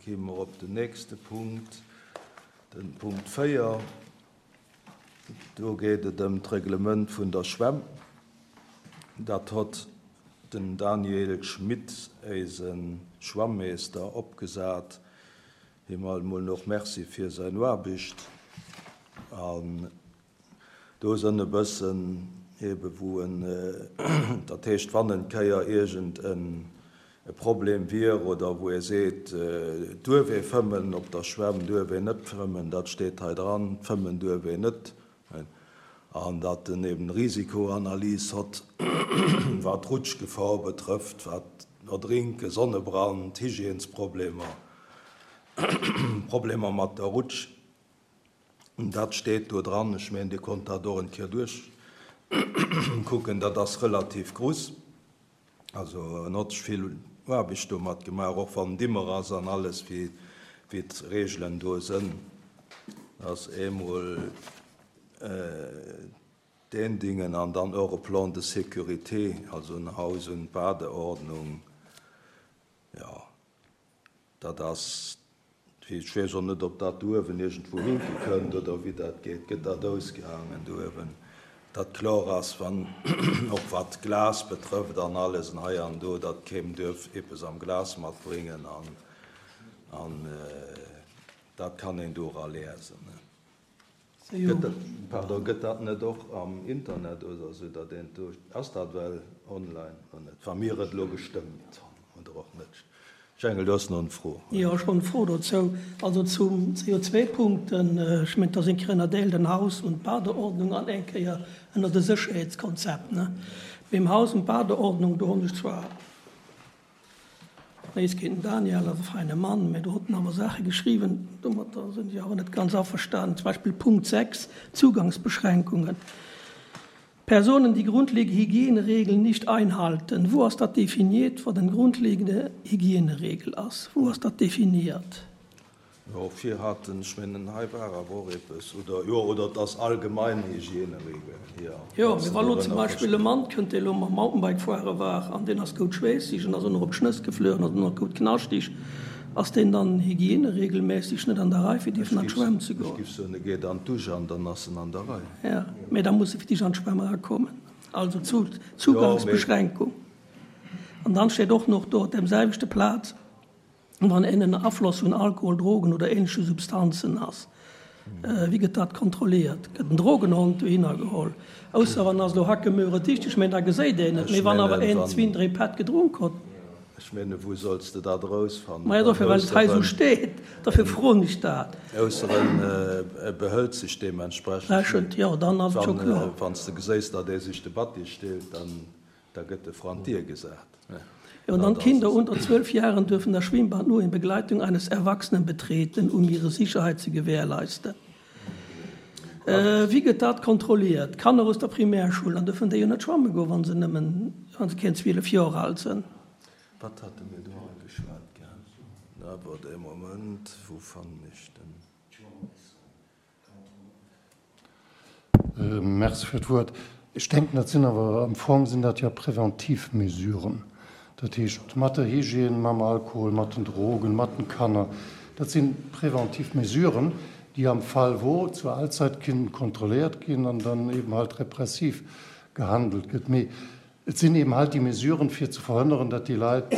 Gi mer op den nächste Punkt, de Punkt 4. Do geet et ëm d'Reglement vun der Schwämm. Dat hott den Daniel Schmit, éise Schwammeester, opgesat. Him alt mol och Merci fir säin Aarbicht. An Do sënn e bëssen ebe wou en, dat heescht wann en Kéier iergend en Problem wier oder wou ee seet, duerf ee fëmmen op der Schwämm, duerf een net fëmmen, dat steet hei dran, fëmmen duerf een net, an datt en eben Risikoanalys hott, wat d'Rutschgefor betrëfft, wat Erdrinken, Sonnebrand, Hygiènesproblemer, Problemer mat der Rutsch. Dat steet do dran. Ech mengen, Dir konnt dat och en Kéier duerchkucken. Dat ass relativ gruss. Also en hott sech vill Aarbecht domat gemaach, och wann et immer ass an alles, wéi d'Regelen do sënn. Ass eemol deen Dingen an dann och e Plan de sécurité, also en Haus und Badeordnung, jo. Dat ass, ech weess och net, ob dat do uewen iergendwou hinke kënnt oder wéi dat geet. Gëtt dat ausgehaangen do uewen, datt kloer ass, wann, och wat d'Glas betrëfft an alles an hei an do, datt keem duerf eppes am Glas matbréngen an, an dat kann een do era liesen. Gëtt dat, pardon, gëtt dat net och am Internet oder esou, datt een do, ass dat well online oder net, wa mir et elo gestëmmt hunn oder och net? Jengel, du has nach eng Fro. Jo, ech hunn eng Fro dozou. Also zum CO2-Punkten, ech mengen, et ass eng Kéier ënnerdeelt an Haus und Badeordnung an eng Kéier ënner de Sécherheetskonzept, ne? Beim Haus und Badeordnung, do hunn ech zwar, Nees géint den Daniel, ass e feine Mann, mä do huet en awer Saache geschriwwen, domatter sinn ech awer net ganz averstanen. Zum Beispill Punkt 6, Zugangsbeschränkungen. Personen, die grundlegende Hygieneregeln nicht einhalten. Wou ass dat definiert, wat eng grundlegende Hygieneregel ass? Wou ass dat definiert? Jo, vir haten, ech mengen hei war awer och eppes, oder jo, oder et ass allgemein Hygieneregeln, jo. Jo, mee wa lo zum Beispill e Mann kënnt, dee lo mam Mountainbike fuere war an deen ass goud schweesseg an ass och nach op d'Schnëss gefluch an ass och nach goud knaschteg, ass deen dann hygieneregelmässeg net an der Rei fir dierfen an d'Schwämm ze goen? Ech giff soen, e geet an d'Dusch an dann ass en an der Rei. Jo, mee da muss e fir d'éischt an d'Schwämm erakommen. Also Zugangsbeschränkung. An dann steet och nach do op deem selwechte Plaz, Wann een ënner Afloss vun Alkohol, Drogen oder ähnleche Substanzen ass, wéi gëtt dat kontrolliert? Gëtt en Drogenhond dohinner geholl? Ausser wann ass elo Hackemöhre dicht, ech mengen da geséit een et, mee wann awer een zwin, dréi Pätt gedronk hott. Ech menge wou solls de dat erausfannen? Maja dofir, well et hei esou steet, dofir froen ech dat. Ausser en behëlt sech deementsprechend. Rechent, jo, dann ass et scho kloer. Wann s de geséis, datt ee sech de Batti stillt, dann. Da gëtt de vrun d'Dier gesat. Jo, und dann Kinder unter 12 Jahren dürfen das Schwimmbad nur in Begleitung eines Erwachsenen betreten, um ihre Sicherheit zu gewährleisten. Wéi gëtt dat kontrolliert? Kanner aus der Primärschoul, dann dürfen déi jo net schwamme goen, wa se nëmmen, wa se keen 12 Joer al sënn. Wat hate mir do hei geschwat gehat? Awer de Moment, wou fannen ech den? Merci fir d'Wuert. Ech denken, dat sinn awer, am Fong sinn dat jo preventiv Mesuren. Dat heescht, mat der Hygiène, mam Alkohol, mat den Drogen, mat den Kanner, dat si preventiv Mesuren, déi am Fall wo zur Allzeit kënnen kontrolléiert ginn an dann eben halt repressiv gehandelt gëtt. Mee et sinn eben halt déi Mesuren, fir ze verhënneren, datt déi Leit,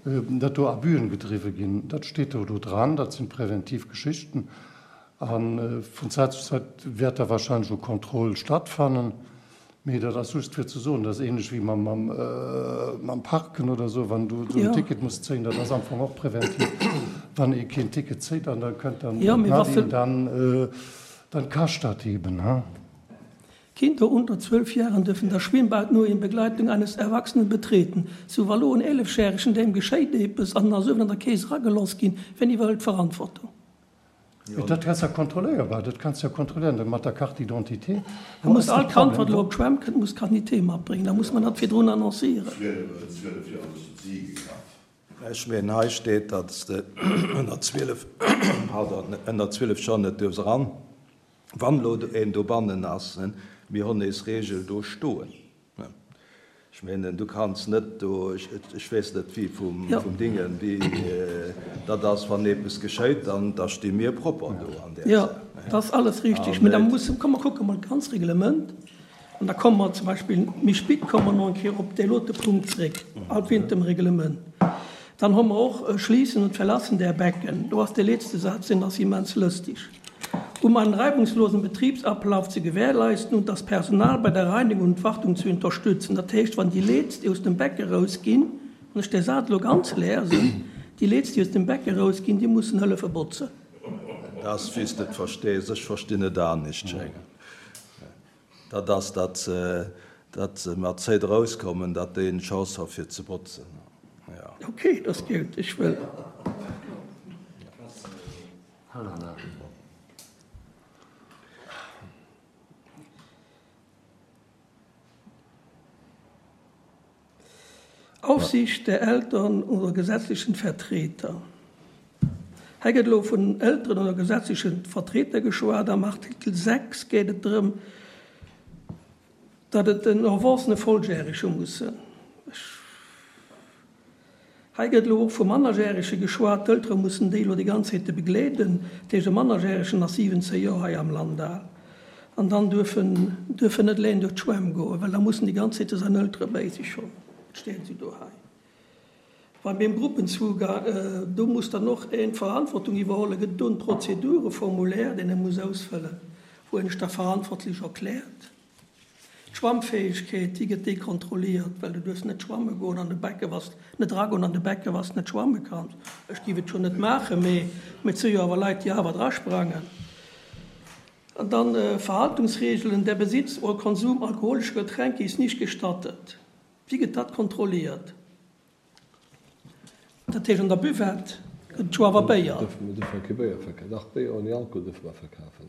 datt do Abüen gedriwwe ginn. Dat steet do do dran, dat sinn preventiv Geschichten. A vun Zäit zu Zäit wäert da wahrscheinlech och Contrôle stattfannen. Mee dat ass just fir ze soen, dat ass ähnlech wéi mam Parken oder esou, wann du en Ticket muss zéien, dat ass am Fong och präventiv. Wann ee keen Ticket zéit an da kënnt dann d'Nadine, dann, dann kascht dat eben. Kinder unter 12 Jahren dürfen das Schwimmbad nur in Begleitung eines Erwachsenen betreten. Sou wa lo en Eelefjäregen, deem geschéit eppes an en ass uewen an der Kees erageloss ginn, wien iwwerhëlt d'Verantwortung? Dat ass ja kontrolléierbar, dat kanns de ja kontrolléieren mat der Carte d'identité. Da muss all Kand, wat elo op d'Schwämm kënnt, muss d'Carte d'identité matbréngen. Da muss mer dat virdrun annoncéieren. Ech mengen, hei steet, datt s de ënner 12, pardon, ënner 12 Joer net duerfs eran, wann elo een dobannen ass. Mir hunn eis Regel do stoen. Ech mengen, du kanns net do, ech weess net wéi vum Dingen, wéi dat ass, wann eppes geschéit, dann da sti mir propper do an där Jo, dat ass alles richtig. Mä da musse, komm mer kucke mol d'ganz Reglement an da komme mer zum Beispill méi spit komme mer nach eng Kéier op dee lote Punkt zréck, alt wéint dem Reglement. Dann hu mer och Schließen und Verlassen der Becken. Do ass dee letzte Saz, deen ass immens lëstig. Um einen reibungslosen Betriebsablauf zu gewährleisten und das Personal bei der Reinigung und Wartung zu unterstützen. Dat heescht, wann déi Leeds, déi aus dem Becke rausginn, wann ech dee Saz elo ganz lesen, déi Leeds, déi aus dem Becke rausginn, déi mussen hëllefe botzen. Dat ass, wéi s de et verstees. Ech verstinn et anescht, Schengen. Dat ass, datt se, datt se mat Zéit erauskommen, datt déi eng Chance hu fir ze botzen. Jo. Okay, dat ass gutt. Ech wëll. Aufsicht der Eltern oder gesetzlichen Vertreter. Hei gëtt elo vun Elteren oder gesetzlechen Vertreter geschwat. Am Artikel 6 geet et drëm, datt et en Erwuessene Volljärege mussen. Hei gëtt elo och vu Mannerjärege geschwat. D'Eltere mussen déi elo déi ganz Zäite begleeden. Dat heescht, e Mannerjäregen ass 17 Joer hei am Land al an dann duerf en duerf en net eleng duerch d'Schwämm goen, well da muss en déi ganz Zäite säin Eltere béi sech hunn. Et steet esou do hei. Beim Gruppenzugang, do muss dann och een d'Verantwortung iwwerhollen. Gëtt et do en Prozedureformulaire, deen e muss ausfëllen, wou en sech da verantwortlech erkläert? D'Schwammfäegkeet, déi gëtt dekontrolliert, well du duerfs net schwamme goen an de Becke wann s net eragoen an de Becke wann s net schwamme kanns. Ech géif et scho net maachen, mee et si jo awer Leit, déi awer drasprangen. An dann Verhaltungsregeln, Der Besitz oder Konsum alkoholischer Getränke ist nicht gestattet. Wéi gëtt dat kontrolliert? Dat heescht an der Buvette gëtt et jo awer Béier. Mir dierfe kee Béier verkafen. Dach, Béier ouni Alkohol dierfe mer verkafen.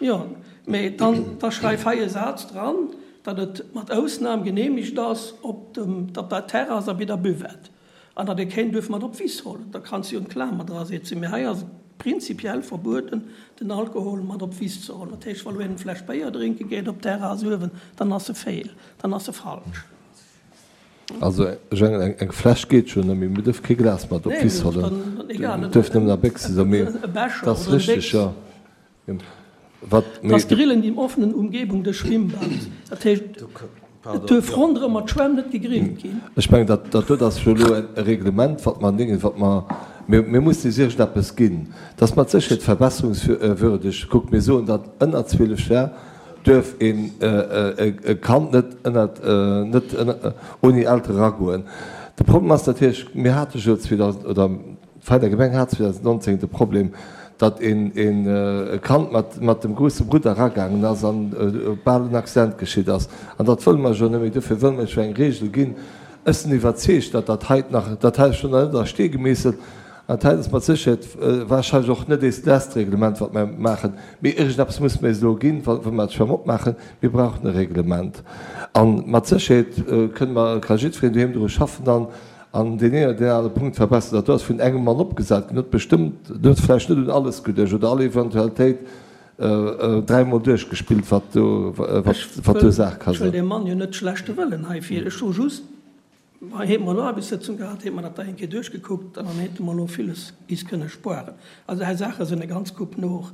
Jo, mee dann da schreif hei e Saz dran, datt et mat Ausnam genehmigt ass op dem op der Terrass a bei der Buvette an datt ee keen duerf mat op d'Wiss hollen. Da kanns de jo en Klamer dra setzen. Mee hei ass et prinzipiell verbueden, den Alkohol mat op d'Wiss ze hollen. Dat heescht, wa lo een eng Fläsch Béier drénke geet op d'Terrass uewen, dann ass e fehl, dann ass e falsch. Also ech mengen eng Fläsch geet schonn, mee mir duerfe kee Glas mat op d'Wiss hollen. Et duerf nëmmen a Béchse sinn. Mee dat ass richteg, jo. Wat mee. Das Grillen in offenen Umgebung des Schwimmbads, dat heescht, et duerf ronderëm mat Schwämm net gegrillt ginn. Ech mengen, dat dat do ass jo elo e Reglement, wat mer an Dingen, wat mer, mir mir mussen eis iergendeppes ginn. Dat ass mat Sécherheet verbesserungswürdeg. Kuckt, mir soen, datt ënner 12 Jar duerf een e Kand net ënnert, net ouni Eltere eragoen. De Problem ass natierlech, mir hate jo 2000, oder d'Veiner Gemeng hat 2019 de Problem, datt een e Kand mat mat dem grousse Brudder eragaangen ass an bal en Accident geschitt ass. An dat wëlle mer jo net méi. Dofir wëlle mer jo eng Regel ginn. Ech sinn iwwerzeegt, datt dat hei nach, dat hei ass schonn nach net a Stee gemeesselt, An dat ass mat Sécherheet wahrscheinlech och net eist lesst Reglement, wat mer maachen. Mee iergendeppes musse mer eis elo ginn, wa mer d'Schwämm opmaachen. Mir brauchen e Reglement. A mat Sécherheet kënne mer, ka jiddwereen doheem dru schaffen an an deen een oder deen anere Punkt verbessern. Dat do ass vun engem Mann opgesat ginn, huet bestëmmt, en huet vläicht net un alles geduecht oder all Eventualitéit dräimol duerchgespillt, wat do, wat do Saach ka sinn. Ech wëll deem Mann jo net schlechte Wëllen heivir. Ech soe just, Hei hate mer elo Aarbechtssëtzung gehat, hate mer dat da eng Kéier duerchgekuckt an dann hate mer elo villes is kënne spueren. Also hei Saache sinn e ganz Koup no,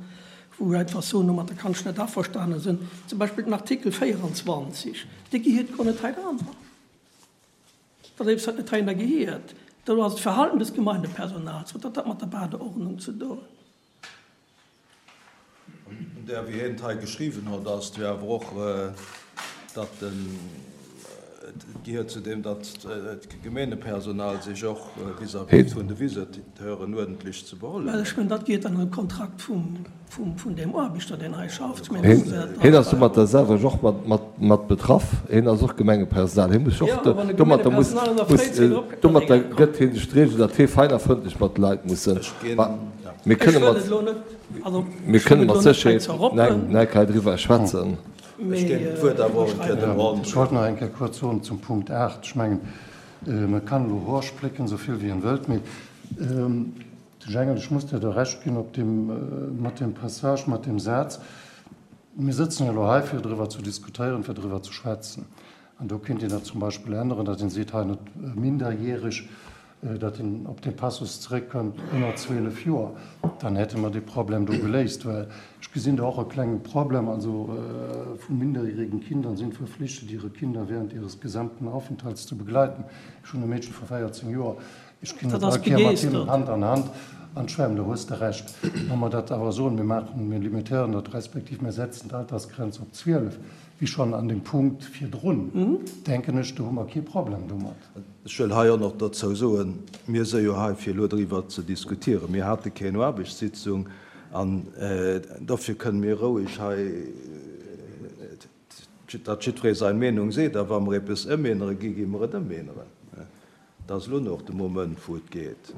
wou ech einfach soen, domatter kann ech net averstane sinn. Zum Beispill den Artikel 24, dee gehiert guer net hei dran. Dat ass eppes, wat net heihinner gehiert. Do ass d'Verhalten des Gemeindepersonals. Wat huet dat mat der Badeordnung ze doen? Un där, wéi hien et hei geschriwwen huet, ass et jo awer och, datt en, et gehéiert zu deem, datt d'Gemeengepersonal sech och vis-à-vis vun de Visiteuren uerdentlech ze behuelen huet. Well ech mengen, dat geet an de Kontrakt vum deem Aarbechter, deen hei schafft. Hien ass domatter selwer och mat betraff. Hien ass och Gemengepersonal. Hie muss och domatter, muss, domatter gëtt hie sech d'Regel, datt hie fein a frëndlech mat de Leit muss sinn. Mir kënne mat, mir kënne mat Sécherheet nach hei driwwer schwätzen. Ech géing d'Wuert awer och eng Kéier dem André. Ech wollt nach eng Kéier kuerz soen zum Punkt 8. Ech mengen, man kann elo Hor splécken, esou vill wéi een wëllt, mee de Jengel, ech muss dir do Recht ginn op deem, mat deem Passage, mat deem Saz. Mir sëtzen jo elo hei, fir driwwer ze diskutéieren, fir driwwer ze schwätzen. An do kéint een dat zum Beispill änneren, datt een seet, hei net minderjähreg, datt een op dee Passus zeréckkënnt, ënner 12 Joer. Dann hätte mer dee Problem do geléist. Well ech gesinn do och e klenge Problem, also vu minderjährigen Kindern sind verpflichtet, ihre Kinder während ihres gesamten Aufenthalts zu begleiten. Ech hunn e Meedche vu 14 Joer, ech ginn net all Kéier mat him Hand an Hand an d'Schwämm, do hues de Recht. Wa mer dat awer soen, mir maachen, mir limitéieren dat, respektiv mir setzen d'Altersgrenz op 12, wéi schonn an dem Punkt virdrun, denken ech, do hu mer kee Problem domat. Ech wëll hei och nach dozou soen, mir si jo hei fir elo driwwer ze diskutieren. Mir hate keng Aarbechtssitzung an dofir kënnen mir roueg hei, datt jiddweree seng Meenung seet a wa mer eppes ëmännere gi, gi mer et ëmänneren. Dat ass elo nach de Moment wou et geet.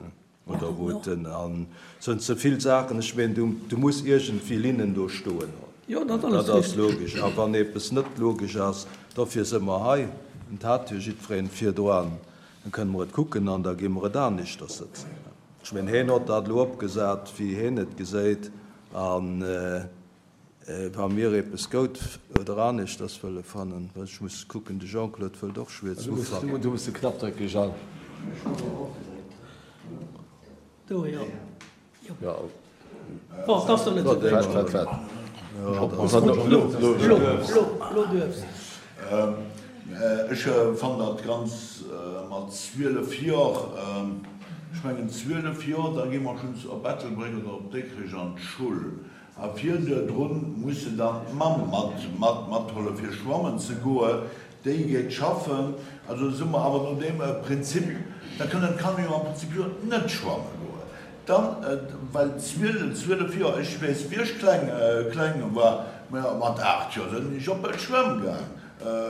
Oder wou et en an sënn ze vill Saachen, ech meen du du muss iergendwéi Linnen do stoen hunn. Jo, dat ass Dat ass logesch. A wann eppes net logesch ass, dofir si mer hei, et hat jo jiddwereen virdroan, da kënne mer et kucken an da gi mer et aneschters sëtzen. Ech meen heen hott dat elo opgesat wéi heen et geséit an wa mir eppes goud oder aneschters wëlle fannen, ech muss kucken, de Jean-Claude wëllt och schwierz ufanken. Du muss de Knapp drécken, Jean. Do, jo. Jo. Bon, et ass der net esou wéi. Wat, wat? Lo, lo, lo duerfs. Ech fannen dat ganz mat 12 Jor, ech mengen 12 Jor, da gi mer schonns op Ettelbréck oder op Dikrech an d'Schull. A virdrun muss se dann d'Mamm mat matholle fir schwammen ze goe, déi geet schaffen. Also si mer awer no deem Prinzip, da kënnen d'Kanner jo am Prinzip jo net schwamme goen. Dann, well 12, 12 Joer, ech weess wéi ech kleng, kleng war, mat 8 Joer sinn ech op d'Schwämm gaang.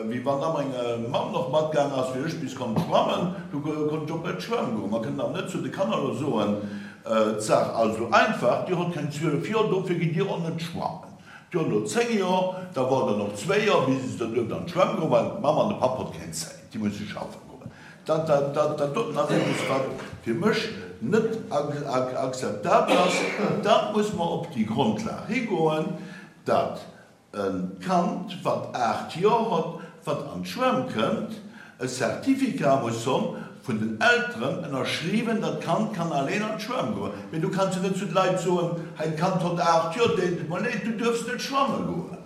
Wéi wann da meng Mamm noch matgaang ass, fir ech bis konnt schwammen, du konnt ech op d'Schwämm goen. Mer kënnen awer net zu de Kanner elo soen, D'Saach ass esou einfach, dir hott keng 12 Joer, dofir gitt dir och net schwammen. Dir hott elo 10 Joer, da woart der noch zwéi Joer, bis der duerft an d'Schwämm goen, well d'Mamm an de Papp hott keng Zäit, déi musse schaffen goen. Dat doten ass eppes, wat fir mech net akzeptabel ass. Da muss mer op déi Grondlag higoen, dat E Kand, wat 8 Joer hott, wat an d'Schwämm kënnt, e Certificat muss honn, vun den Elteren ënnerschriwwen, dat d'Kand kann alleen an d'Schwämm goen. Mee du kanns jo net zu de Leit soen, hei d'Kand hott 8 Joer, deet mer leed, du duerfs net schwamme goen.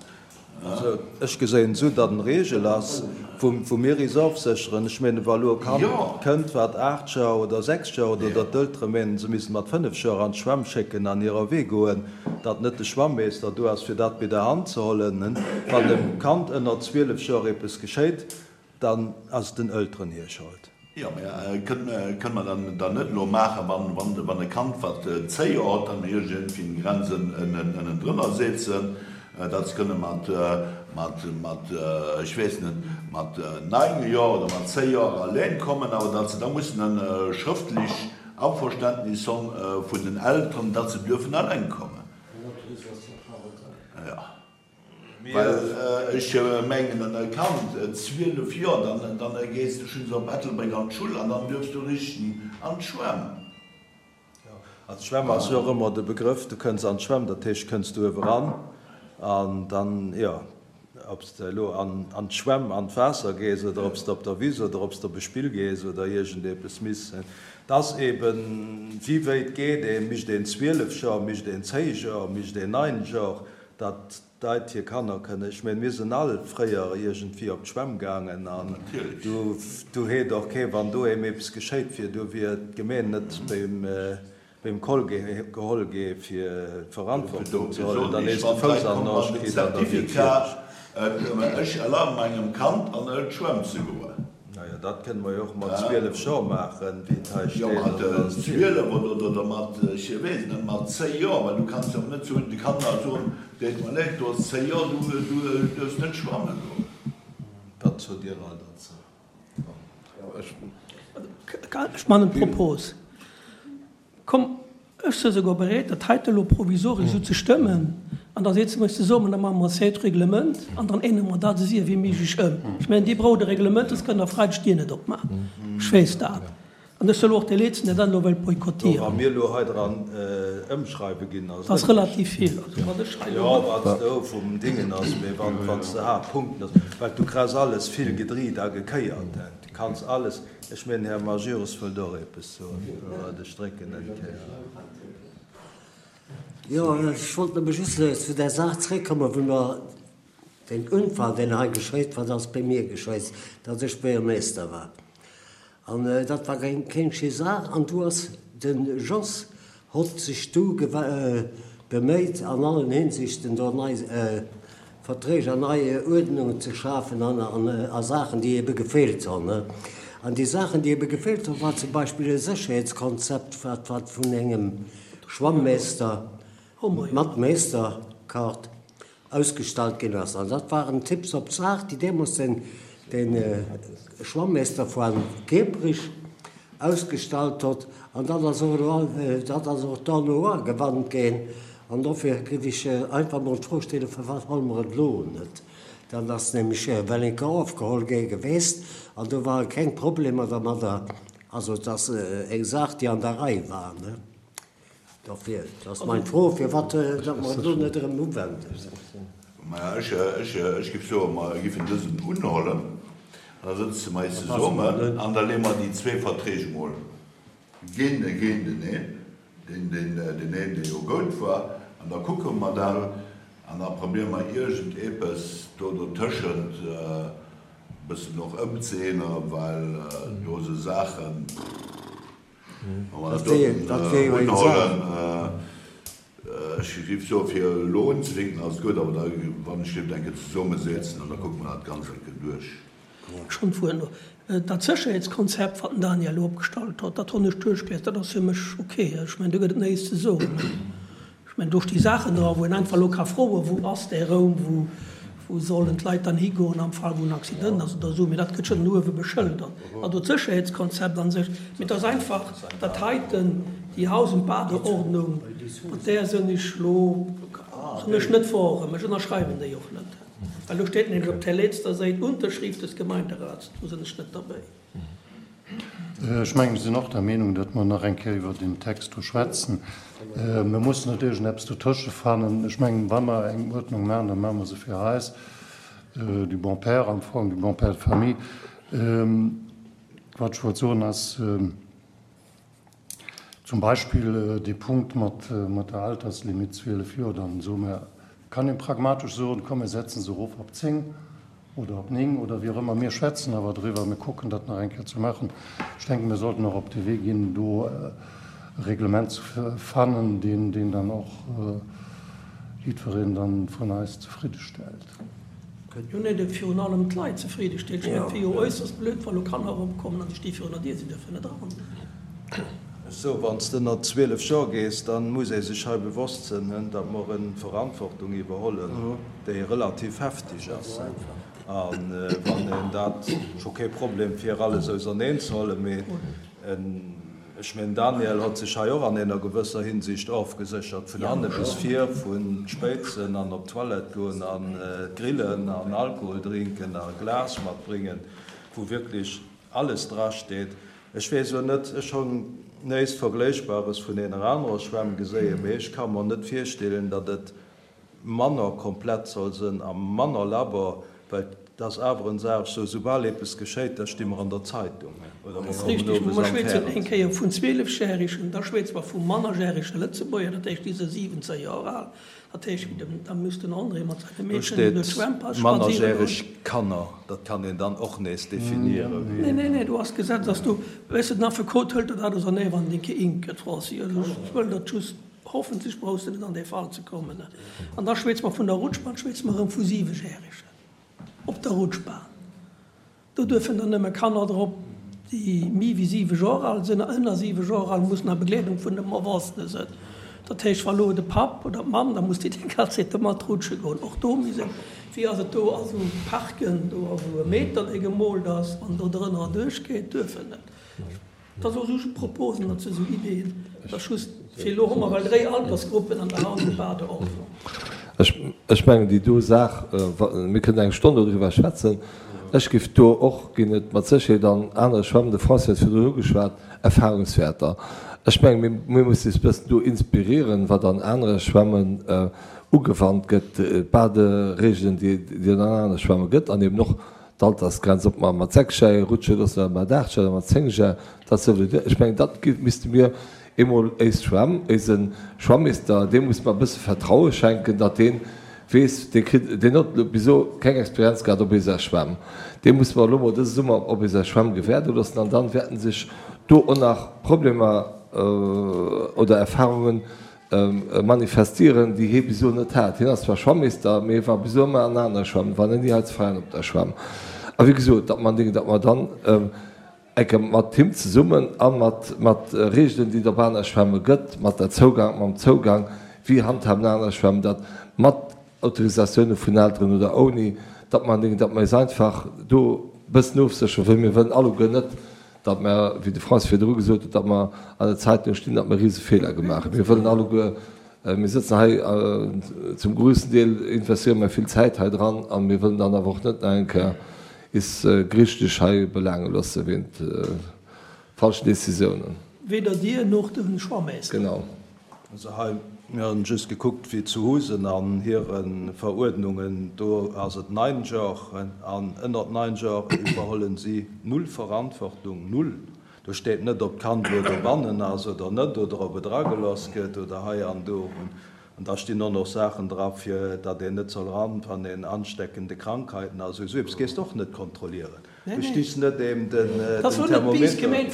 Also ech geséien et esou, datt en Regel ass, wou mir is ofsécheren. Ech menen, wa elo e Kand kënnt, wat 8 Joer oder 6 Joer, oder datt d'Eltere menen, se missten mat 5 Joer an d'Schwämm schécken an hirer Wee goen, datt net de Schwammeester do ass, fir dat bei der Hand ze hollen. Wann dem Kand ënner 12 Joer eppes geschéit, dann ass et den Elteren hir Schold. Jo, mä kënne mer dann net elo maachen, wann e Kand, wat 10 Joer huet, dann iergendwéi eng Grenz ënnendrënner setzen, datt se kënne mat, mat, ech weess net, mat 9 Joer oder mat 10 Joer alleng kommen, awer datt se da mussen e schrëftlech Averständnis honn vun den Elteren, datt se duerfen alleng kommen. Jo. Well ech mengen, e Kand, 12 Joer, dann, dann gees de schonns op Ettelbréck an d'Schull an dann duerfs du richten an d'Schwämm. Jo, also d'Schwämm ass jo och ëmmer de Begrëff, du kënns an d'Schwämm, dat heescht, kënns du uewe ran an dann, jo, ob s de elo an d'Schwämm, an d'Waasser gees oder ob s de op der Wiss oder ob s de op e Spill gees oder iergendepes miss, et ass eben, wéi wéit geet een, mischt een 12 Joer, mischt een 10 Joer, mischt een 9 Joer, datt d'Leit hir Kanner kënnen, ech mengen, mir sinn all fréier iergendwéi op d'Schwämm gaangen an do heet och kee, wann doheem eppes geschéit wier, do wier d'Gemeen net beim Koll geholl gi fir Verantwortung ze huelen, dann hues de Fouss an den Arsch kritt an da wier et fäerdeg. Ech erlabe mengem Kand an d'Schwämm ze goen. Naja, dat kënne mer jo och mat 12 Joer maachen, wéi et hei steet. Jo, mat 12 oder mat, ech weess net, mat 10 Joer, well du kanns jo och net zu de Kanner soen, Deet mer leed, du hues 10 Joer, du duerfs net schwamme goen. Wat sot Dir all dozou? Ech man en Propos. Komm, ech si souguer bereet, dat heite elo provisoresch esou ze stëmmen, an da setzen mer eis zesummen, da maache mer e zéit Reglement an dann ännere mer dat esou wéi méiglech ëm. Ech mengen, Dir braucht e Reglement, soss kënnt Der Freideg d'Dier net opmaachen. Ech weess dat. An ech sinn elo och dee Letzten, deen dat elo wëllt boykottieren. Wa mir elo hei dran ëmschreiwe ginn, ass et. Dat ass relativ vill. Also wat ech hei elo. Jo, wat do vum Dingen ass, mee wann, wann s de Haaptpunkten ass, well du krauss alles vill gedriit a gekéiert. Du kanns alles. Ech mengen, Här Majerus wëllt och eppes soen. Ech drécken eng Kéier. Jo, ech wollt nëmme just zu där Saach zréckkommen, wou mer deen Unfall, deen hei geschéit war, dat ass bei mir geschéit, datt ech Buergermeester war. An dat war keng schéi Saach. An du ass de Jos hott sech du beméit, an allen Hinsichten do nei Verträg an nei Uerdnungen ze schafen an a Saachen, déi ebe gefeelt honn. An déi Saachen, déi ebe gefeelt honn, war zum Beispill e Sécherheetskonzept, wat wat vun engem Schwammeester mat Meesterkaart ausgestallt ginn ass. An dat waren Tipps op d'Saach, déi deemools den de Schwammeester vu Kiepperich ausgestallt hott. An dat ass och elo dat ass och dono ugewannt ginn. An dofir géif ech einfach mol d'Fro stellen, Firwat huele mer et elo net? Dat ass nämlech well eng Kéier ofgeholl gi geweest an do ware keng Problemer dermadder. Also et ass eng Saach, déi an der Rei war. Dofir, dat ass meng Fro, firwat datt mer et elo net erëm uwenden. Maja, ech géif soen, mer giffen dësen unhuelen an da sëtze mer eis zesummen an da leeë mer déi zwee Verträg emol géinteneen, deen een, dee jo goud war, an da kucke mer dat an da probéiere mer iergendepes do dotëschent e bëssen och ëmzeänneren, well do esou Saachen, wa mer dat doten unhuelen, ech géif soen, fir elo unzefänken ass et gutt, awer da, wann ech géif eng Kéier zesummesetzen an da kucke mer dat Ganzt eng Kéier duerch. Schonn vun elo. Dat Sécherheetskonzept, wat den Daniel elo opgestallt huet, dat hunn ech duerchgelies, dat ass fir mech ok. Ech mengen, do gëtt et näischt ze soen. Ech mengen, do sti Saachen dra, wou een einfach elo ka froen, Wou ass dee Raum, wou, wou sollen d'Leit dann higoen am Fall, wou en Accident ass oder esou. Mee dat gëtt schonn uewe beschëldert. Also d'Sécherheetskonzept a sech. Mee et ass einfach dat heiten, déi Haus und Badeordnung, mat där sinn ech elo, sinn ech net verorem. Ech ënnerschreiwen déi och net. Well do steet nämlech op der letzter Säit Unterschrift des Gemeinderats, do sinn ech net derbäi. Ech mengen, ech sinn och der Meenung, datt mer nach eng Kéier iwwer deen Text do schwätzen. Mir mussen net iergendeppes dotësche fannen. Ech mengen, wa mer eng Uerdnung maachen, da maache mer se fir eis, du bon père am Fong, du bon père de famille. Wat ech wollt soen ass, Zum Beispill dee Punkt mat der Alterslimit 12 Joer, dann soe mer, kann ee pragmatesch soen, komm mir setzen se erof op 10 oder op 9 oder wéi och ëmmer. Mir schwätzen awer driwwer, mir kucken dat nach eng Kéier ze maachen. Ech denken, mir sollten och op de Wee ginn, do e Reglement ze fannen, deen dann och jiddwereen dann vun eis zefriddestellt. Jo, nee, dee virun allem d'Leit zefridde stellt. Ech mengen, et wier jo äusserst blöd, wa lo Kanner eropkommen an déi sti virun der Dier, si dierfen net eran. Sou, wann s de ënner 12 Joer gees, da muss ee sech hei bewosst sënn, datt mer en Verantwortung iwwerhollen, déi relativ heftig ass. A wann een dat, scho kee Problem fir alles auserneen ze hollen, mee Ech mengen, Daniel hott sech hei och an eener gewësser Hinsicht ofgeséchert, vun hanne bis vir, vun Spéizen an op d'Toilette goen an grillen an Alkohol drinken a Glas matbréngen, wou wierklech alles drasteet. Ech weess elo net, ech honn néist Vergléichbares vun eener anerer Schwämm geséien, mee ech ka mer net virstellen, datt et manner komplett soll sënn a manner labber, well et ass awer en Saach, sou soubal eepes geschéit, da sti mer an der Zeitung oder mer kommen owes am Mer schwätzen eng Kéier vun zwielefjährigen, da schwätze mer vu mannerjährege Lëtzebuerger, dat heescht déi si 17 Joer al, dat heescht da misst den André mat seine Do Meedchen steet duerch d'Schwämm spaziere goen. mannerjähreg Kanner, dat kann een dann och nees definieren. Nee, nee, nee, do ass d'Gesetz, ass do, weess de, den Affekot hëlt dat ausernee, wann en dee Kéink gëtt, Franci, also ech wëll dat just. Hoffentlech brauchs de net an dee Fall ze kommen. An da schwätze mer vun der Rutschbahn, schwätze mer erëm vu Siwejäregen op der Rutschbahn. Do duerfen dann nëmme Kanner drop, déi méi wéi siwe Joer al sinn, a ënner siwe Joer al mussen a Begleedung vun dem Erwuessene sinn. Dat heescht, wa lo de Papp oder d'Mamm, da muss déi déi ganz Zäit do mat rutsche goen. Och do muss een, wéi ass et do a sou Parken, do ass esou e Meter, dee gemoolt ass, wann do drënner erduerchgeet, duerf en net. Dat ass och just Proposen, dat si sou Ideeën. Dat ass just fir elo hu mer well dréi Altersgruppen an der Haus und Badeordnung. Ech mengen, déi do Saach, mir kënnen eng Stonn dodriwwer schwätzen. Ech géif do och, ginn et mat Sécherheet an anere Schwämmen, de François huet virdrun ugeschwat, Erfahrungswäerter. Ech mengen, mir, mir mussen eis e bëssen do inspirieren, wat an anere Schwämmen ugewannt gëtt, d'Baderegeln, déi, déi et an anere Schwämme gëtt an eben och d'Altersgrenz, ob mer mat 6 Jar rutsche loossen oder mat 8 Jar oder mat 10 Jar, dat souwisou. Ech mengen, dat misste mir eemol éis Schwämm, éise Schwammeester, deem musse mer e bësse Vertraue schenken, datt dee weess, dee kritt, deen huet elo bis elo keng Experienz gehat op éiser Schwämm, dee musse mer elo mol dëse Summer op éiser Schwämm gewäerde loossen an dann wäerten sech do och nach Problemer oder Erfahrungen manifestieren, déi hie bis elo net hat. Hien ass zwar Schwammeester, mee hie war bis elo ëmmer an anere Schwämmen, war ni hei zu Veianen op der Schwämm. A wéi gesot, datt mer, datt mer dann eng Kéier mat him zesummen a mat, mat Reegelen, déi et op aner Schwämme gëtt, mat der Zougang, mam Zougang, wéi handhaben aner Schwämmen dat, mat Autorisatioune vun Elteren oder ouni, datt mer, datt mer eis einfach do e bëssen ofsécheren, well mir wëllen alleguer net, datt mer, wéi de François virdru gesot huet, datt mer an der Zeitung stinn, datt mer rise Feeler gemaach hunn. Mir wëllen alleguer, mir sëtzen hei zum groussen Deel, investéiere mer vill Zäit hei dran a mir wëllen dann awer och net nach eng Kéier is gerichtlech hei belaange loosse wéint falschen Décisiounen. Weder Dir noch de Schwammeester. Genau. Also hei, mir hunn just gekuckt wéi zu Husen an hire Veruerdnungen, do ass et 9 Jor an ënnert 9 Jor iwwerhollen si null Verantwortung, null. Do steet net ob d'Kand elo dobannen ass oder net oder ob et eragelooss gëtt oder hei an do. An da stinn och nach Saachen dra fir datt een net soll ran, wann een ansteckende Krankheiten ass. Esou eppes gees de och net kontrollieren. Du stichs net eem den Thermometer. Nee, ech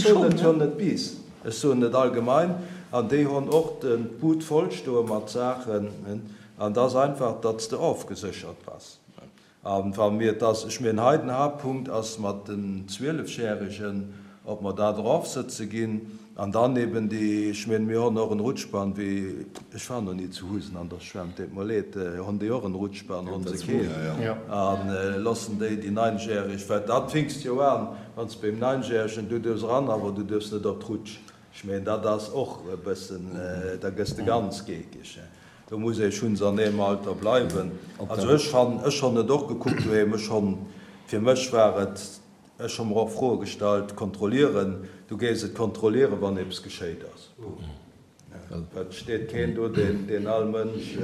soen et jo net bis, ech soen et allgemein. An déi honn och d'Bud voll stoe mat Saachen. An et ass einfach, datt s de ofgeséchert bass. A wa mir, et ass, ech mengen hei den Haaptpunkt ass mat den Zwielefjäregen, ob mer dat erofsëtze ginn an dann eben déi, ech mengen mir honn och en Rutschbahn, wéi, ech war nach ni zu Husen an der Schwämm, deet mer leed, honn déi och en Rutschbahn, honn se keen? A loossen déi déi Neinjäreg, well dat finkst jo an, wann s de beim Neinjäregen, du duerfs eran, awer du duerfs net op d'Rutsch. Ech mengen dat ass och e bëssen, da gëss de ganz geekeg. Do muss ee schunns an deem Alter bleiwen. Also ech han, ech honn et och gekuckt doheem, ech honn, fir mech war et, ech hu mer och Froe gestallt, kontrollieren, du géifs et kontrollieren, wann eppes geschéit ass. Punkt. Et steet keen do, deen, deen all Mënsch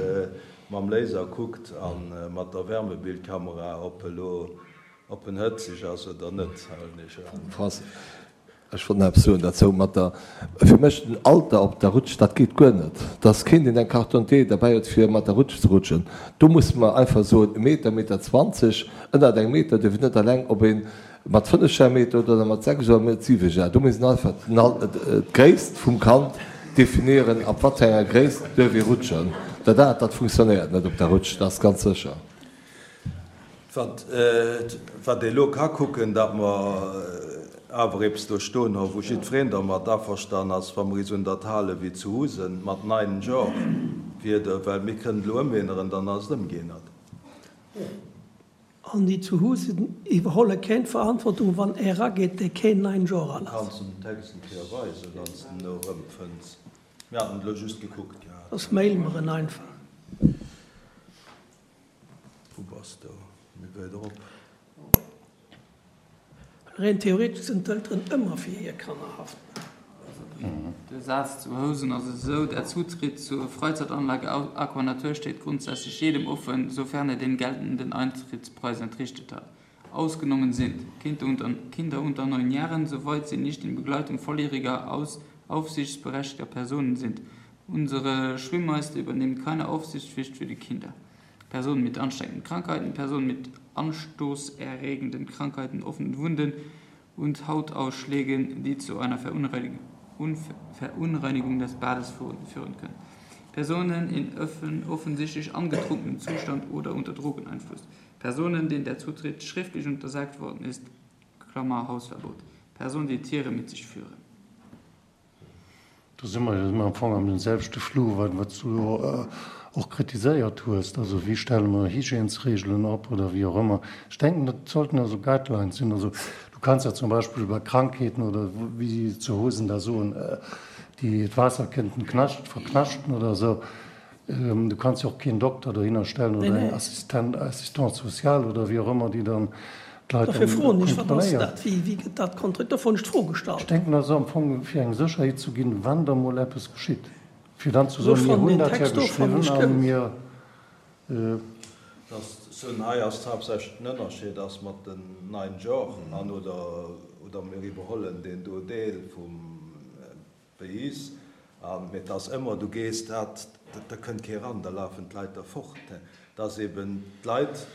mam Laser kuckt a mat der Wärmebildkamera, ob elo, ob en hëtzeg ass oder net, halen ech an. Ech wollt nach eppes soen derzou mat der, fir mech den Alter op der Rutsch, dat geet guer net, dass keen deen eng Carte d'identité derbäi huet fir mat der Rutsch ze rutschen. Do musse mer einfach soen, e Meter, Meter 20, ënnert engem Meter dierf een net alleng, ob ee mat 5 Jar Meter huet oder mat 6 oder mat 7 Jar. Do misst een einfach d'Gréisst vum Kand definieren, ab wat fir enger Gréisst duerf ee rutschen. Dat anert, dat funktionéiert net op der Rutsch, dat ass ganz sécher. Wat, wat ee elo ka kucken, datt mer awer eppes do stoen hu wou jiddwereen dermat averstan ass, wa mer is un dat hale wéi zu Husen mat nein Jor Wieder, well mir kënnen et elo ëmänneren, dann ass et ëmgeännert. An déi zu Husen iwwerholle keng Verantwortung, wann ee erageet, dee keen nein Jor al ass. Kanns de den Text eng Kéier weisen, wann s de en elo erëmfënns? Mir haten et elo just gekuckt gehat. Soss mail mer en einfach. Wou bass du? Méi wäit erop. Rein theoretesch sinn d'Elteren ëmmer fir hir Kanner haftbar. De Saz zu Housen ass esou, Der Zutritt zur Freizeitanlage Aqua Natur steht grundsätzlich jedem offen, sofern er den geltenden Eintrittspreis entrichtet hat. Ausgenommen sind Kinder unter 9 Jahren, soweit sie nicht in Begleitung volljähriger, aufsichtsberechtigter Personen sind. Unsere Schwimmmeister übernehmen keine Aufsichtspflicht für die Kinder. Personen mit ansteckenden Krankheiten, Personen mit anstoßerregenden Krankheiten, offenen Wunden und Hautausschlägen, die zu einer Verunreinigung des Bades führen können. Personen in offensichtlich angetrunkenem Zustand oder unter Drogeneinfluss. Personen, denen der Zutritt schriftlich untersagt worden ist, Klammer Hausverbot. Personen, die Tiere mit sich führen. Do si mer jo am Fong an deem selwechte Flou, wat s du elo och kritiséiert hues. Also wéi stelle mer Hygiènesregelen op oder wéi och ëmmer. Ech denken, dat sollten also Guidelines sinn. Also du kanns ja zum Beispill bei Krankheeten oder wéi si zu Housen da soen, déi d'Waasser kënnten knascht, verknaschten oder esou. Du kanns jo och keen Dokter dohinner stellen oder eng Assistent, Assistante sociale oder wéi och ëmmer, déi dann d'Leit Dofir froen ech, wat ass dat? Wéi, wéi gëtt dat kontrolliert? Dofir hunn ech d'Fro gestallt. Ech denken, dat ass am Fong fir eng Sécherheet ze ginn, wann da mol eppes geschitt, fir dann ze soen, mir hunn dat ja geschriwwen a mir. Dass soen, hei ass haaptsächlech den Ënnerscheed ass mat den neien Genre an oder, oder mir iwwerhollen deen do Deel vum Pays an, mee et ass ëmmer, du gees dat, da kënnt kee ran, da lafen d'Leit der fort. Et ass eben d'Leit,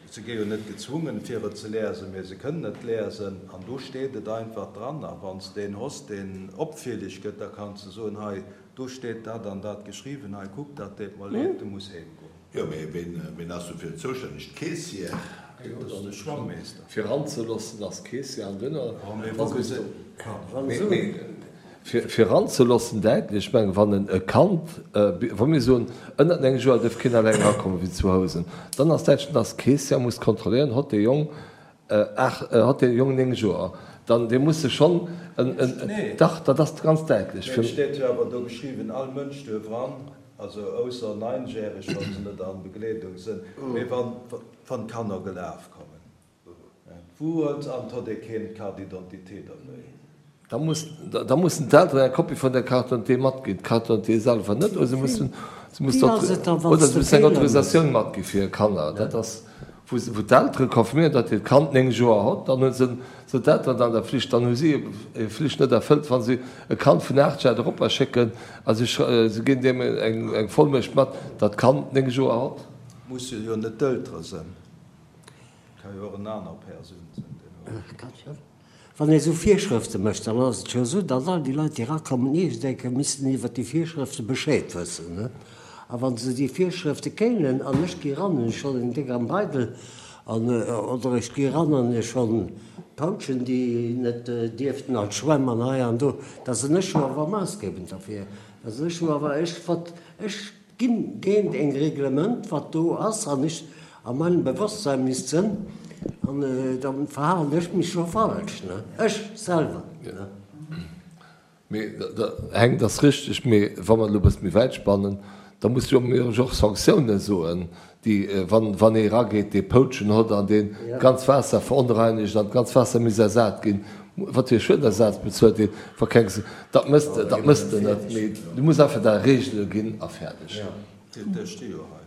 se gi jo net gezwungen fir et ze lesen, mee se kënnen et lesen an do steet et einfach dran. A wann s de een hoss deen opfielleg gëtt, da kanns de soen, hei do steet dat an dat geschriwwen, hei kuck, dat deet mer leed, du muss heem goen. Jo, mee ween ass dofir zoustänneg? D'Keessière? Dat ass de Schwammeester. Fir eranzeloossen ass d'Keessière an duerno Fir eranzeloossen däitlech. Ech mengen, wann e Kand, wa mir soen, ënnert 9 Joer duerf keen eleng erakommen, wéi zu Housen, dann ass däitlech, dann ass d'Keessière muss kontrolléieren, hott dee Jong 8, hott dee Jong 9 Joer, dann dee muss sech schonn en, dach, dat ass ganz däitlech. Mee et steet jo awer do geschriwwen, all Mënsch duerf eran. Also ausser Neinjähreg, wa se net an Begleedung sënn, mee wann wann d'Kanner gelaf kommen, wou huet an hott ee keen Carte d'identité derbéi? Da muss da mussen d'Elteren eng Kopie vun der Carte d'identité matginn, d'Carte d'identité selwer net, oder se mussen se mussen oder se mussen eng Autorisatioun matgi fir hir Kanner. Dat ass wou wou d'Eltere confirméieren, datt hiert Kand 9 Joer hott, dann hu se sinn d'Elteren an der Flicht, dann hu si hir Flicht net erfëllt, wa si e Kand vun 8 Jar eropper schécken a si si ginn deem eng eng Vollmuecht mat, datt d'Kand 9 Joer hott. Musse jo net d'Eltere sinn, ka jo och en aner Persoun sinn, deen hott. Wann ee sou Virschrëfte mécht, dann ass et jo esou, datt all déi Leit, déi erakommen, iergendeng missten iwwert déi Virschrëfte Bescheed wëssen. A wa se déi Virschrëfte kéinen, an ech gi ran, hunn ech schonn en déck am Beidel, an, oder ech gi ran an hu schonn Pouchen, déi net dierften an d'Schwämm an hei an do, da sinn ech jo awer maassgebend derfir. Da sinn ech jo awer, ech, ech Ginn géint eng Reglement wat do ass an ech a meinem Bewosstsein misst sënn an dann verhalen ech mech scho falsch, ne, ech selwer, ne. Mee Heng, dat ass richteg, mee wa mer elo e bësse méi wäit spannen, da muss jo mir och Sanktiounen soen, déi, wann, wann ee erageet, dee Poutschen hott an deen d'ganz Waasser veronreinigt an d'ganz Waasser misst ersat ginn, wat fir e Schuedenersaz bezuelt deen, wa keng, dat mësst, dat mësst en net, mee du muss einfach da Regele ginn a fäerdeg. Déi sti jo hei.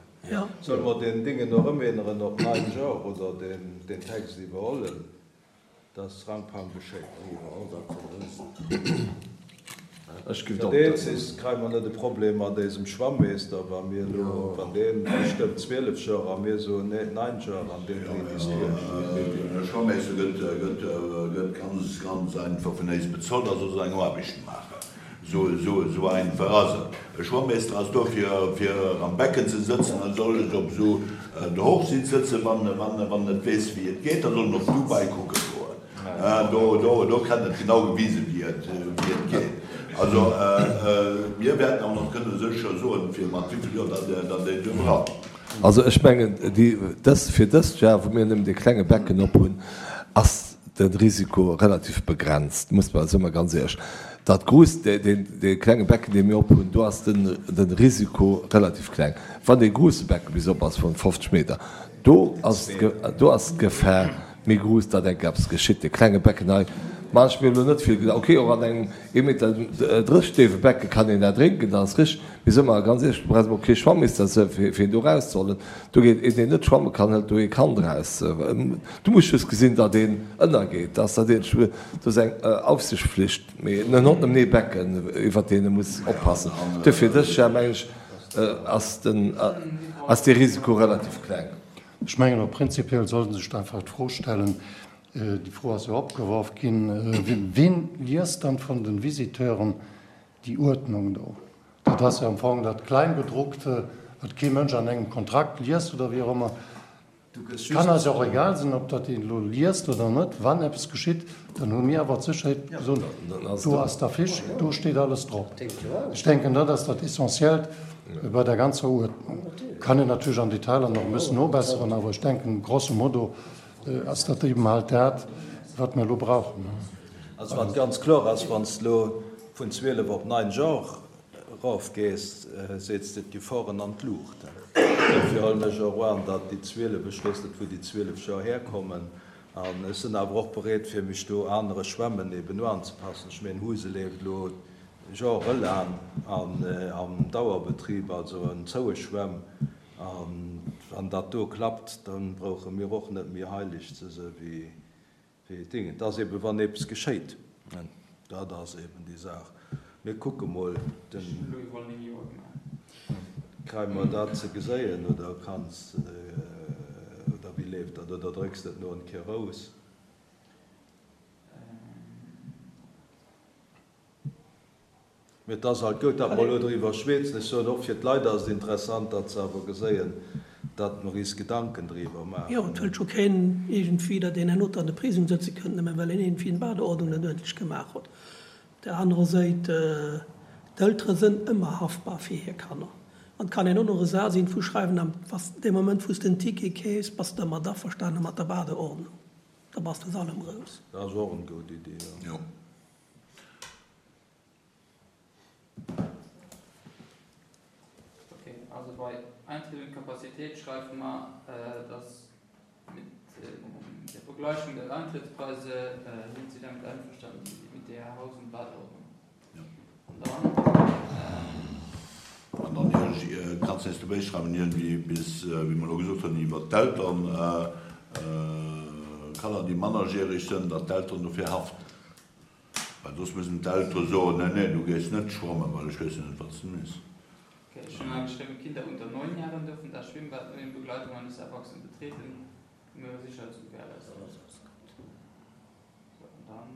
Solle mer deen Dingen och ëmänneren op nein Genre oder deen Text iwwerhollen? Dass Rangpang beschéit. Ech ginn op. Dat eenzegst kréie mer net e Problem mat éisem Schwammeester, wa mir elo, wann dee bestëmmt 12 Joer a mir soen, nee, 9 Joer an deen dréit is duerch. De Schwammeester gëtt, gëtt, gëtt ganz, ganz einfach vun éis bezolt a soll seng Aarbecht maachen. Esou, esou, esou einfach ass et. E Schwammeester ass do fir, fir am Becken ze sëtzen a soll net op esou der Hochsitz sëtzen, wann, wann, wann en net weess wéi et geet, da soll en op Dubai kucke goen. Do, do, do kritt en et genau gewisen, wéi et, wéi et geet. Also, mir wäerten awer nach kënne sécher soen, fir mat wéi vill Joer datt, datt een do dran. Also ech mengen, déi, dës, fir dëst Jar, wou mir nëmmen dee klenge Becken op hunn, ass de Risiko relativ begrenzt, muss mer, si mer ganz éierlech. Dat gruusst, deen, dee klenge Becken, dee mir op hunn, do ass den, den Risiko relativ kleng. Wann dee gruusse Becken bis op ass vun 50 Meter, do ass, do ass d'Gefahr méi gruuss, datt enk eppes geschitt. Dee klenge Becken hei maan ech mir elo net vill Gedanken. Okay, och an engem ee Meter 30 déiwe Becke kann een erdrénken, dat ass richteg. Mee soe mer ganz éierlech, du brauchs emol kee Schwammeester fir een do erauszehollen. Do geet een, deen net schwamme kann, hëlt do ee Kand eraus. Du muss just gesinn, datt een ënnergeet. Dat ass dat eenzegt. Do ass eng Aufsichtspflicht. Mee en huet nëmmen ee Becken, iwwert deen e muss oppassen. Duerfir dës Jar, mengen ech, ass den, ass dee Risiko relativ kleng. Ech mengen och prinzipiell sollt ee sech einfach d'Fro stellen, déi Fro ass jo opgeworf ginn, Ween liest dann vun de Visiteuren déi Uerdnung do? Dat ass jo am Fong dat Kleingedruckte, wat kee Mënsch an engem Kontrakt liest oder wéi och ëmmer. Kann eis och egal sinn, ob dat een elo liest oder net. Wann eppes geschitt, dann hu mir awer d'Sécherheet gesot, do ass d'Affiche, do steet alles drop. Ech denken, dat ass dat Essentiellt bei der ganzer Uerdnung. Kann een natierlech an Detailer nach e bëssen nobesseren, awer ech denken, grosso modo ass dat eben halt dat, wat mir elo brauchen. Also wat ganz kloer ass, wann s de elo vun 12 op 9 Genre. erof gees, seets de d'Geforen an d'Luucht. Dofir huelen ech och an, datt déi 12, ech weess net wou déi 12 Joer herkommen, an ech sinn awer och bereet fir mech do anere Schwämmen eben uanzepassen. Ech mengen Huse leeft elo jorelaang an am Dauerbetrib, also en zoue Schwämm, a wann dat do klappt, da brauche mir och net méi heileg ze se wéi Wéi Ding. Et ass eben, wann eppes geschéit, dat ass eben déi Saach. Mir kucke mol, den. Ech hunn elo iwwerall 9 Joer gemaach. Kréie mer dat ze geséien oder kanns, oder wéi leeft dat? Oder drécks de et no en Kéier rous? Mee et ass alt goud, datt mer elo driwwer schweetzen. Ech soen, och fir d'Leit ass et interessant, datt se awer geséien, datt mer is Gedanken driwwer maachen. Jo, et wëllt scho keen iergendwéi, datt een herno an de Prisong sëtze kënnt, nëmme well een iergendwéi eng Badeordnung net uerdentlech gemaach huet. Op där anerer Séit, d'Eltere sënn ëmmer haftbar fir hir Kanner. An et kann een och nach e Saz iergendwou schreiwen, am, was, dee Moment wou s de en Ticket keefs, bass de dermat averstane mat der Badeordnung. Da bass de aus allem rous. Dat ass och en goud Idee, jo. Okay, also bei Eintritt und Kapazität schreiwe mer, dass mit der Begleichung der Eintrittspreise sind Sie damit einverstanden mit der Haus und Badeordnung. An dann. An dann kanns de dobäi schreiwen, iergendwéi bis, wéi mer elo gesot hunn, iwwert d'Eltern, Kanner déi mannerjäreg sënn, datt d'Elteren dofir haften. Well soss müssen d'Eltere soen, Nee, nee, du gees net schwammen, well ech weess jo net, wat s de misst. Ok, ech hunn hei geschriwwen, Kinder unter 9 Jahren dürfen das Schwimmbad nur in Begleitung eines Erwachsenen betreten, um ihre Sicherheit zu gewährleisten. So, an dann.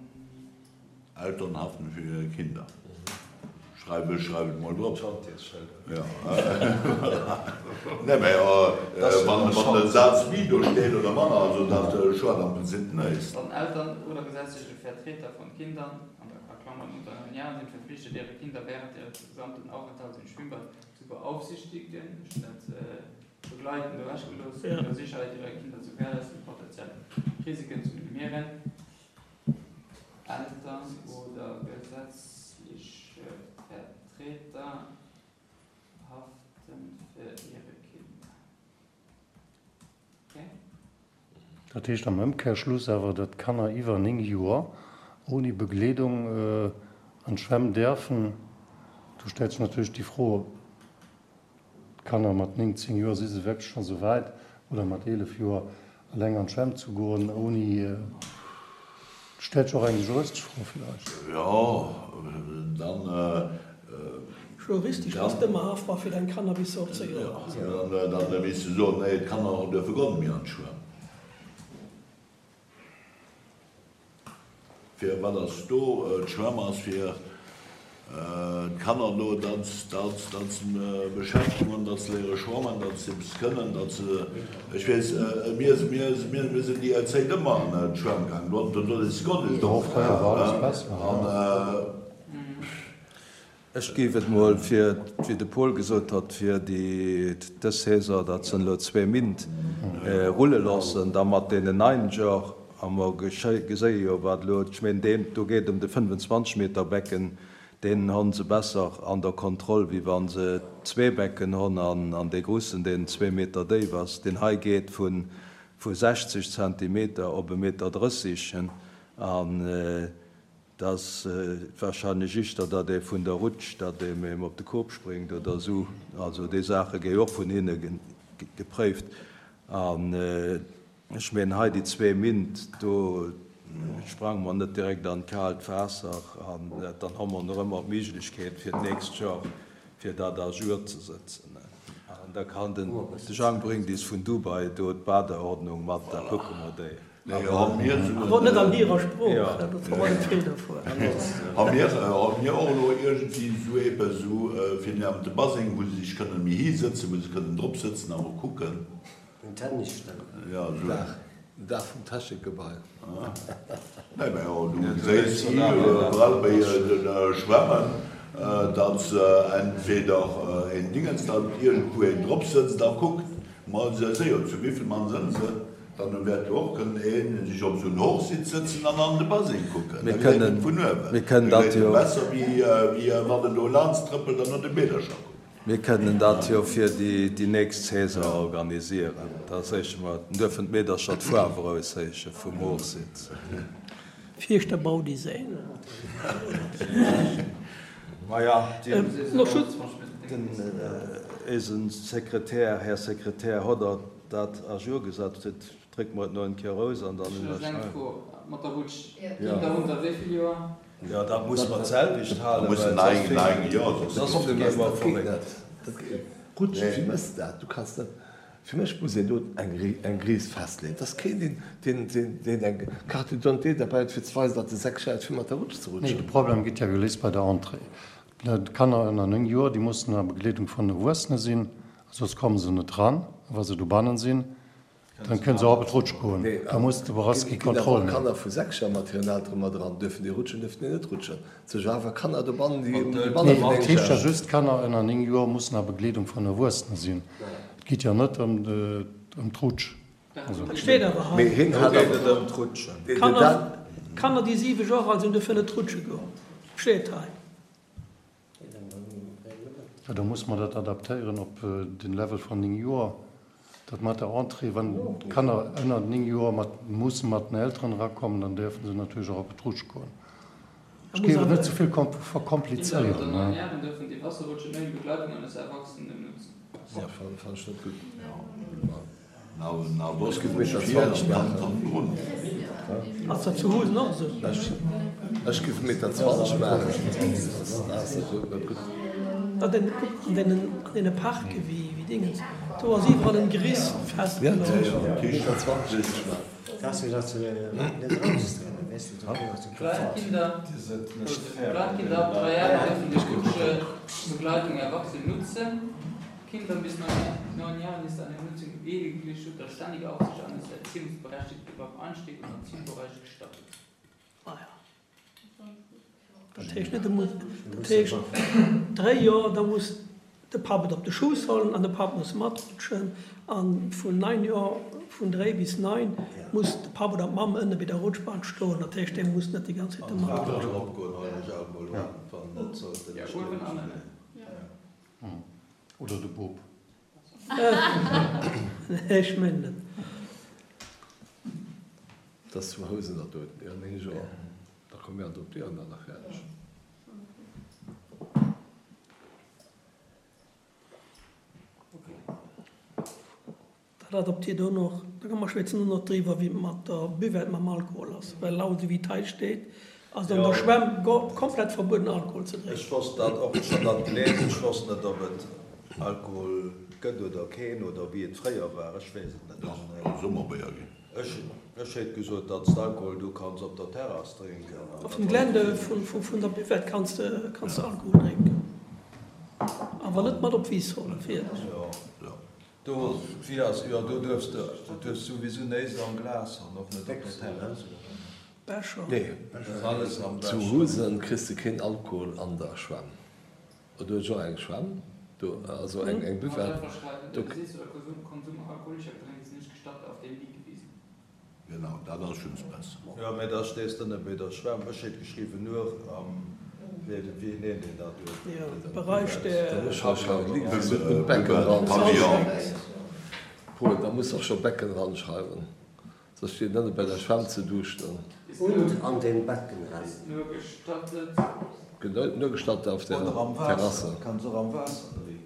Eltern haften für ihre Kinder. Schreiw ech, schreiw et mol drop. Schantjesschëlder. Nee, mä wann den Saz méi do steet oder manner, also dat schued am Prinzip näischt. Dann Eltern oder gesetzliche Vertreter von Kindern, a Klammern unter 9 Jahren, sind verpflichtet, ihre Kinder während ihres gesamten Aufenthalts im Schwimmbad zu beaufsichtigen, ech hunn dat begleiten do ewechgelooss, um ihre Sicherheit ihrer Kinder zu gewährleisten und potenziell Risiken zu minimieren. Eltern oder gesetzliche Vertreter haften für ihre Kinder. Okay? Dat heescht am Ëmkehrschluss awer, datt Kanner iwwer 9 Joer ouni Begleedung an d'Schwämm däerfen. Do stellt sech natierlech déi Fro, D'Kanner mat 9, 10 Joer, si se wierklech scho sou wäit, oder mat 11 Joer, eleng an d'Schwämm ze goen, ouni, stellt sech och eng juristesch Fro villäicht. Jo, dann. Juristesch bass de ëmmer haftbar fir deng Kanner bis se op 10 Joer sinn. Jo, dann misst de soen, nee, d'Kanner duerfe guer net méi an d'Schwämm. Fir wat ass do d'Schwämm? Ass fir d'Kanner do, datt se Beschäftegung hunn, datt se léiere schwammen, datt se eppes kënnen, datt se, ech weess, mir mir sinn déi Zäit ëmmer an d'Schwämm gaangen, do do is guer net Do fréier war alles besser. Ech géif et mol fir, wéi de Paul gesot hott, fir déi dës Saison, dat sënn elo zwee Mint, rulle loossen, da mat deenen neien Joer, a mer geséie jo wat elo, ech meen deen do geet ëm de 25 Meter Becken, deen honn se besser an der Kontroll, wéi wa se zwee Becken honn an dee grussen, deen zwee Meter déif ass. Deen hei geet vu 60 Zentimeter op e Meter 30 an 't ass wahrscheinlech ischter, datt ee vun der Rutsch, datt ee em op de Kop spréngt oder esou. Also déi Saache gi jo och vun hinne gepréift. An ech mengen hei déi zwee Mint, do sprange mer net direkt an d'kaalt Waasser. An dann hu mer nach ëmmer d'Méiglechkeet fir d'nächst Joer, fir dat à jour ze sëtzen. An da kann den Jang bréngt is vun Dubai do d'Badeordnung mat, da kucke mer déi. Awer net an hirer Sprooch, dat ass och en Feeler vu. Ha mir och elo iergendwéi esou eppes esou fir niewent de Baseng, wou se sech kënnen méi hisëtzen, wou se kënnen drop sëtzen a mol kucken? En Tennisständer. Jo, esou. Den Daach vum Technikgebai. Nee, mä jo, du geséis iwwerall bei de Schwämmen, datt se entweder een Dingens, datt iergendwou een drop sëtzt a kuckt. Ma se si jo, zu wéivill Mann sënn se? Dann wäert jo och kënnen een sech op esou en Hochsitz sëtzen an an de Baseng kucken. Da gesäit en et vun uewen. Mir kënnen dat jo. Besser wéi wann en do laanscht trëppelt an no de Meedercher kuckt. Mir kënnen dat jo fir déi nächst Saison organisieren. Da séiche mer, dann duerfen d'Meedercher d'Faarf erausséiche vum Hochsitz. Fierschter Baudesign. Maja, den éisen Sekretär, Här Sekretär, hott Der dat à jour gesat? Drécke mer et no eng Kéier erous an dann Ech hunn just eng ënnerschreiwen. Fro, mat der Rutsch, Kinder unter wéi vill Joer? Jo, dat musse mer d'selwecht halen, well soss fänke soss gi mer verréckt. Rutsch, wéi mëss de dat? Du kanns net, fir mech muss een do eng Gries festleeën. Et ass keen, deen, deen, deen eng Carte d'identité derbäi huet, fir ze weisen, datt e 6 Joer huet, fir mat der Rutsch ze rutschen. Nee, de Problem gëtt ja geléist bei der Entrée. D'Kanner ënner 9 Joer, déi mussen a Begleedung vun Erwuessene sinn, soss komme se net ran. A wa se dobannen sinn, dann kënnen se och op d'Rutsch goen. Da muss de Boraski Ginn awer Kontroll maachen. Kanner vu 6 Joer mat hiren Eltere mat eran? Duerfen déi rutschen, duerfen déi net rutschen? Et si jo awer Kanner dobannen, déi manner Nee, wéi et 9 heescht ja Joer. just, Kanner ënner 9 Joer mussen a Begleedung vun Erwuessene sinn. Et geet jo net ëm d'Rutsch. Dat steet awer hei. Mee hien Do hat geet awer. et ëm d'Rutschen. Den Dan. Kanner, déi 7 Joer al sinn, duerfen net rutsche goen. Steet hei. Jo, da musse mer dat adaptéieren op den Level van 9 Joer. Dat mat der Entrée, wann d'Kanner ënner 9 Joer mat musse mat den Elteren erakommen, dann däerfe se natierlech och op d'Rutsch goen. Ech géif et net ze vill Kinder unter verkomplizéieren. 9 Jahren dürfen die Wasserrutsche nur in Begleitung eines Erwachsenen nutzen. Ja, fannen ech net gutt. Ass dat zu Housen och esou? Ech giff Meter 20 maachen. An deene Parke wéi Dingens, do ass iwwerall en Geriss festgeluecht. Kleinkinder ab 3 Jahren dürfen die Rutsche Begleitung Erwachsene nutzen. Kindern bis 9 Jahren ist eine Nutzung lediglich unter ständiger Aufsicht eines Erziehungsberechtigten beim Einstieg und am Zielbereich gestattet. Ah ja. Dat heescht net, dat heescht 3 Joer, da muss de Papp et op de Schouss huelen an de Papp muss matrutschen a vun 9 Joer, vun 3 bis 9 muss de Papp oder d'Mamm ënne bei der Rutschbahn stoen. Dat heescht, dee muss net déi ganz Zäit do matrutschen. Oder de Bop. Nee, ech mengen net. Dat ass zu Housen dat do, jo, 9 Joer. Da komme mir adoptéieren dat nach fäerdeg. Dat adoptiert och nach. Da mer schwätzen och nach driwwer, wéi et mat der Buvette mam Alkohol ass, well laut esou wéi et hei steet, ass et an der Schwämm komplett verbueden Alkohol ze drénken. Ech wosst dat och, ech hat dat gelies, ech wosst net ob et Alkohol gëtt oder keen oder wéi et fréier war, ech weess et net. Dach, et soll Summerbéier ginn. Ech hétt gesot, datt s d'Alkohol du kanns op der Terrass drénken an Op dat dem Gelände vun der Buvette kanns de Alkohol drénken, awer net mat op d'Wiss huelen, fir. Do, wéi ass, jo, do duerfs de, du duerfs souwisou néist am Glas an och net op der Terrass, oder? Becher. Nee, Alles am zu Becher. Husen kriss de keen Alkohol an der Schwämm. Do huet ech och eng Schwämm, do, also eng, eng Buvette. Der Besitz oder Konsum alkoholischer Getränke ist nicht gestattet auf den Liegewiesen. Genau, dat ass just besser. Jo, mä da stees de net méi der Schwämm. Ech hétt geschriwwen nur am, wéi, wéi nennt een dat do? Jo, Bereich der. Paul, da muss och scho Becken ranschreiwen, soss steet nëmme bei der Schwämm ze duuschten. Und an den Beckenrand. Ist nur gestattet. Nur gestattet auf der Oder am Terrasse. Waasser, kanns och am Waasser drénken.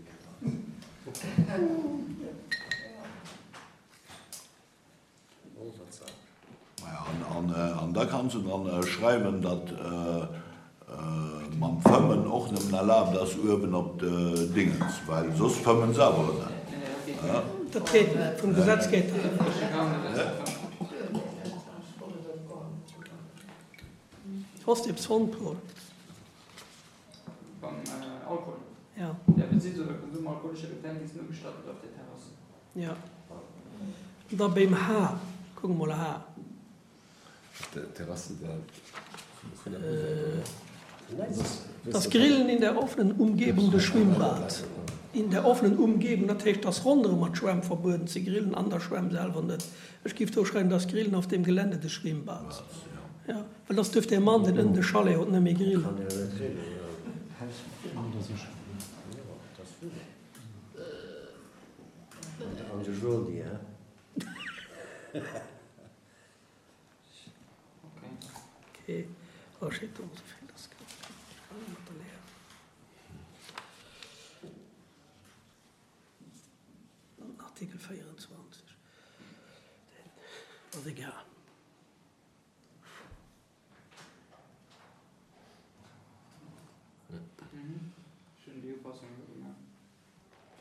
An da kanns de dran schreiwen, datt mam Fëmmen och nëmmen erlaabt ass uewen op de Dingens, well soss fëmmen se awer ënnen. Dat geet net, vum Gesetz geet dat net. Hoss de eppes fonnt, Paul? Beim Alkohol? Ja. Der Besitz oder Konsum alkoholischer Getränke ist nur gestattet auf der Terrasse. Ja. An da beim H, kucke mol H. Op der Terrasse der vun der Buvette, oder? Das Grillen in der offenen Umgebung des Schwimmbads. In der offenen Umgebung, dat heescht, dass ronderëm mat Schwämm verbueden ze grillen, an der Schwämm selwer net. Ech giff do schreiwen, das Grillen auf dem Gelände des Schwimmbads. Jo, well dass duerf dee Mann, deen ënnen de Chalet huet, net méi grillen. Artikel 24, deen ass egal. Ech hunn déi Upassung elo gemaach.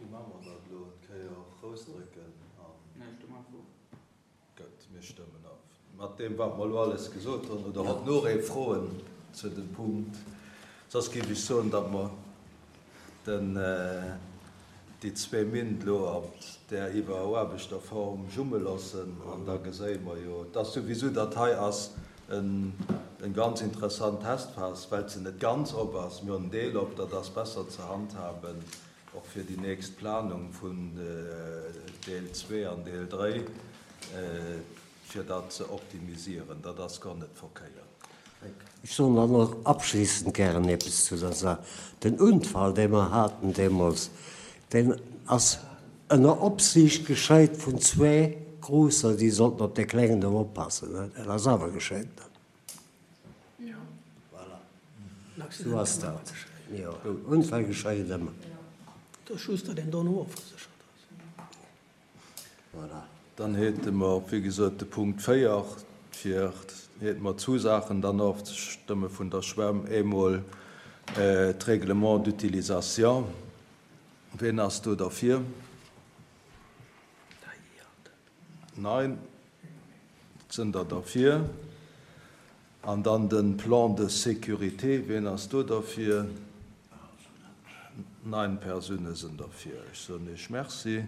Wéi maache mer dat elo? Eng Kéier rousdrécken an. Nee, ech stëmme einfach of. Gutt, mir stëmmen of. Mat deem, wat mer elo alles gesot hunn, oder hott nach ee Froen zu dem Punkt? Soss géif ech soen, datt mer den, déi zwee Mint elo an där iwweruarbechter Form jumme loossen an da geséie mer jo, et ass souwisou, dat hei ass en ganz interessant Testphas, well se net ganz op ass. Mir hunn en Deel op, dat ass besser ze handhaben. Och fir déi nächst Planung vun Deel 2 an Deel 3, fir dat ze optimisieren, dat ass guer net verkéiert. Ech soen dann och abschließend gären eppes zu der Saach. Den Unfall, dee mer haten deemools, deen ass ënner Opsiicht geschéit vun zwee Grousser, déi sollten op dee Klengen do oppassen. Dat ass awer geschéit. Voilà. Sou ass dat. Jo, Unfäll geschéien ëmmer. Et ass just, datt een dono ofgeséchert ass. Voilà. Dann hate mer, wéi gesot, de Punkt 4, fir hate mer zwou Saachen dann ofzestëmme vun der Schwämm. Eemol d'Règlement d'utilisation. Wien ass do derfir? Nein, et sënn der derfir. An dann de Plan de sécurité, wien ass do derfir? Nein Persoune sënn derfir. Ech soen Iech Merci.